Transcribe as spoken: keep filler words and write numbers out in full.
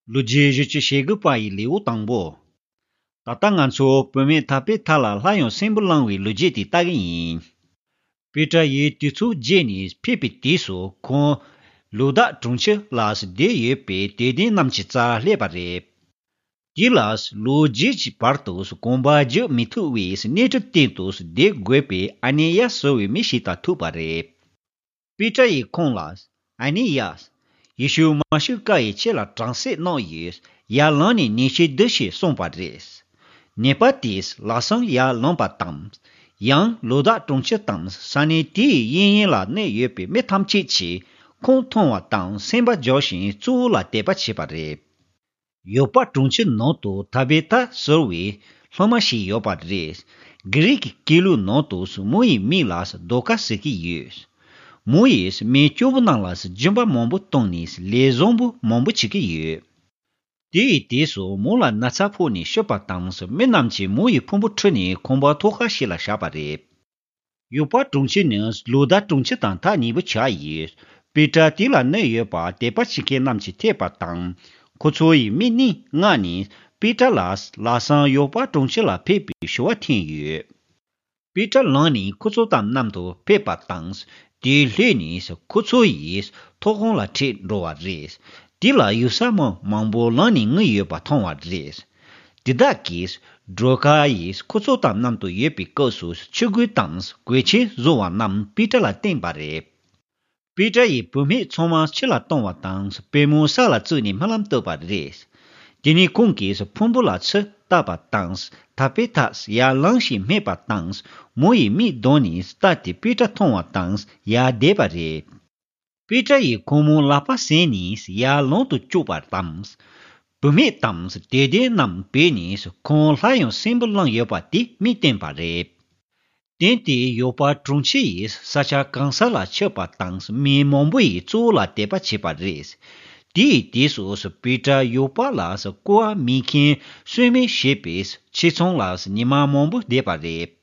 ལོ་རྒྱུས་བཞི་བཅུ་ཞེ་དགུ་པ་ཡི་ལེའུ་དང་པོ། ད་ལྟ་ང་ཚོ་བུད་མེད་ཐ་པེ་ཐ་ལ་སླར་ཡང་གསོན་པོ་བསླངས་པའི་ལོ་རྒྱུས་དེ་ལྟ་གི་ཡིན། པེ་ཏྲ་ཡིས་དུས་ཚོད་བརྗེས་ནས་ཕེབས་པའི་དུས་སུ་ཁོང་ལུ་དཱ་གྲོང་ཁྱེར་ལ་བསྡད་ཡོད་པའི་དད་ལྡན་རྣམས་ཀྱི་རྩར་སླེབས་པ་རེད། དེ་ལ་ལོ་རྒྱུས་ཀྱི་བར་དུ་གོམ་པ་རྒྱག་མི་ཐུབ་པའི་གནས་གྲུབ་སྟེང་དུ་བསྡད་དགོས་པའི་ཨ་ནེ་ཡ་ཟེར་བའི་མི་ཞིག་དང་ཐུག་པ་རེད། པེ་ཏྲ་ཡིས་ཁོང་ལ། ཨ་ནེ་ཡ། ཡེ་ཤུ་མ་ཤི་ཀ་ཡིས་ཁྱེད་ལ་དྲག་སྐྱེད་གནང་ཡོད། ཡར་ལངས་ནས་ནད་གཞི་འདི་ཞེས་གསུངས་པ་རེད། ནད་པ་དེས་ལམ་སང་ཡར་ལངས་པ་དང་། ཡང་ལུ་དཱ་གྲོང་ཁྱེར་དང་ས་གནས་དེའི་གཡས་གཡོན་ལ་གནས་ཡོད་པའི་མི་ཐམས་ཅད་ཀྱིས་ཁོང་མཐོང་བ་དང་སེམས་པ་འཇོག་བཞིན་གཙོ་བོ་ལ་དད་པ་བྱས་པ་རེད། ཡོ་པ་གྲོང་ཁྱེར་ནང་དུ་ཐ་བེ་ཐ་ཟེར་བའི་སློབ་མ་ཞིག་ཡོད་པ་རེད། གྷི་རིག་གི་སྐད་ལུགས་ནང་དུ་མོ་ཡི་མིང་ལ་དོ་ཀ་ཟེར་གྱི་ཡོད། མོ་ཡིས་མི་སྐྱོ་པོ་རྣམས་ལ་སྦྱིན་པ་མང་པོ་བཏང་ནས་ལས་བཟང་པོ་མང་པོ་བྱེད་ཀྱི་ཡོད། དེ་ཡི་དུས་སུ་མོ་ལ་ན་ཚ་ཕོག་ནས་ཤི་བ་དང་མི་རྣམས་ཀྱིས་མོ་ཡི་ཕུང་པོ་ཁྲིད་ནས་ཁང་པ་ཐོག་ཁ་ཞིག་ལ་བཞག་པ་རེད། ཡོ་པ་གྲོང་ཁྱེར་ནི་ལུ་དཱ་གྲོང་ཁྱེར་དང་ཐག་ཉེ་པོ་ཆགས་ཡོད། པེ་ཏྲ་དེ་ལ་གནས་ཡོད་པ་དད་པ་བྱེད་མཁན་རྣམས་ཀྱིས་ཐོས་པ་དང་། ཁོ་ཚོ་ཡིས་མི་གཉིས་མངགས་ནས་པེ་ཏྲ་ལ་ལམ་སང་ཡོ་པ་གྲོང་ཁྱེར་ལ་ཕེབས་པའི་ཞུ་བ་འཐེན་ཡོད། པེ་ཏྲ་ལངས་ནས་ཁོ་ཚོ་དང་མཉམ་དུ་ཕེབས་པ་དང་། དེའི་སླད་ནས་ཁོ་ཚོ་ཡིས་ཐོག་ཁང་ལ་ཁྲིད་འགྲོ་བ་རེད། དེ་ལ་ཡུགས་ས་མི་མང་པོ་ལངས་ནས་ངུ་ཡོད་པ་མཐོང་བ་རེད། དེ་དག་གིས་སྒྲོལ་དཀར་ཡིས་ཁོ་ཚོ་དང་མཉམ་དུ་ཡོད་པའི་སྐབས་སུ་ཆོས་གོས་དང་གོས་ཆེན་བཟོ་བ་རྣམས་པེ་ཏྲ་ལ་བསྟན་པ་རེད། པེ་ཏྲ་ཡིས་བུད་མེད་ཚང་མ་ཕྱི་ལ་བཏང་བ་དང་པུས་མོ་ས་ལ་བཙུགས་ནས་སྨོན་ལམ་བཏབ་པ་རེད། དེ་ནས་ཁོང་གིས་ཕུང་པོ་ལ་ཆུ་བཏབ་པ་དང་ཐ་པེ་ཐ་ཡར་ལངས་ཤིག་སྨྲས་པ་དང་མོ་ཡི་མིག་གདོང་ནས་ལྟ་སྟེ་པེ་ཏྲ་མཐོང་བ་དང་ཡར་བསྡད་པ་རེད། པེ་ཏྲ་ཡིས་ཁོ་མོའི་ལག་པ་ཟིན་ནས་ཡར་ལོང་དུ་བཅུག་པ་དང་། བུད་མེད་དང་དད་ལྡན་རྣམས་བས་ནས་ཁོང་སླར་ཡང་གསོན་པོ་བསླངས་ཡོད་པ་དེ་མིག་བསྟན་པ་རེད། དེ་ནས་ཡོ་པ་གྲོང་ཁྱེར་ཡི་ས་ཆ་གང་ས་ལ་ཁྱབ་པ་དང་མི་མང་པོ་ཡིས་གཙོ་བོ་ལ་དད་པ་བྱས་པ་རེད། དེའི་དུས་སུ་པེ་ཏྲ་ཡོ་པ་ལ་བསྐོར་བ་མེད་མཁན་གསོད་མེད་ཞེས་པའི་ཆེད་ཚང་ལ་ཉི་མ་མང་པོ་བསྡད་པ་རེད།